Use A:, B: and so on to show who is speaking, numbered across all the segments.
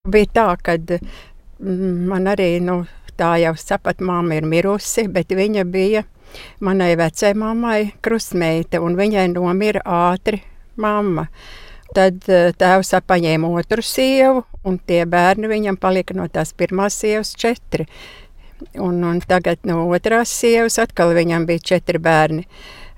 A: Bija tā, kad man arī, tā jau sapat mamma ir mirusi, bet viņa bija manai vecai mammai krustmeita, un viņai nomira ātri mamma. Tad tēvs paņēma otru sievu, un tie bērni viņam palika no tās pirmās sievas 4. Un tagad no otrās sievas atkal viņam bija 4 bērni.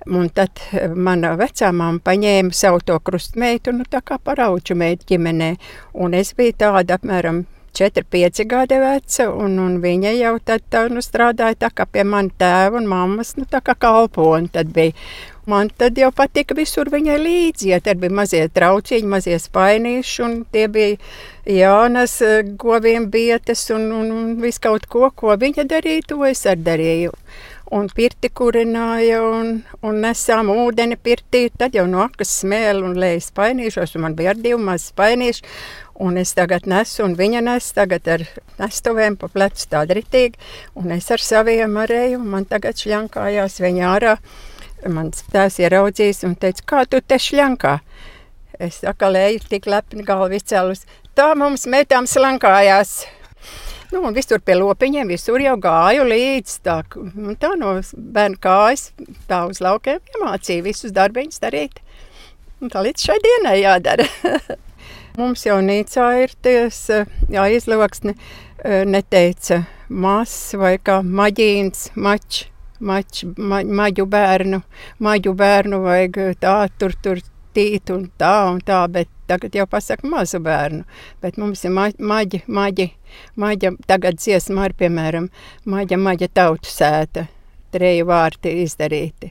A: Un tad mana vecā mamma paņēma savu to krustmeitu, tā kā parauču meitu ģimenē. Un es biju tāda apmēram 4-5 gadi veca, un viņa jau tad strādāja tā kā pie mana tēva un mammas, tā kā kalponi tad bija. Man tad jau patika visur viņai līdzi, ja tad bija mazie trauciņi, mazie spainīši, un tie bija jaunas goviem bietes un visu kaut ko viņa darīja, to es arī darīju. Un pirti kurināja, un nesām ūdeni pirtī, tad jau no akas smēli un lēja spainīšos, un man bija ar 2 mazi spainīši, un es tagad nesu, un viņa nes tagad ar nestuvēm pa plecu tāda ritīgi, un es ar saviem arēju, un man tagad šļankājās viņa ārā. Mans tēvs ieraudzījis un teica, kā tu te šļankā? Es atkal eju tik lepni galvu izcēlus, tā mums metām slankājās. Un visur pie lopiņiem, visur jau gāju līdz, tā no bērnu kājas, tā uz laukiem iemācīja visus darbiņus darīt. Un tā līdz šai dienai jādara. Mums jau Nīcā ir izloksni, neteica mazs vai kā maģīns, maģu bērnu vajag tā, tur tīt un tā, bet tagad jau pasaka mazu bērnu. Bet mums ir maģa, tagad dziesma arī, piemēram, maģa tautu sēta, 3 vārti izdarīti.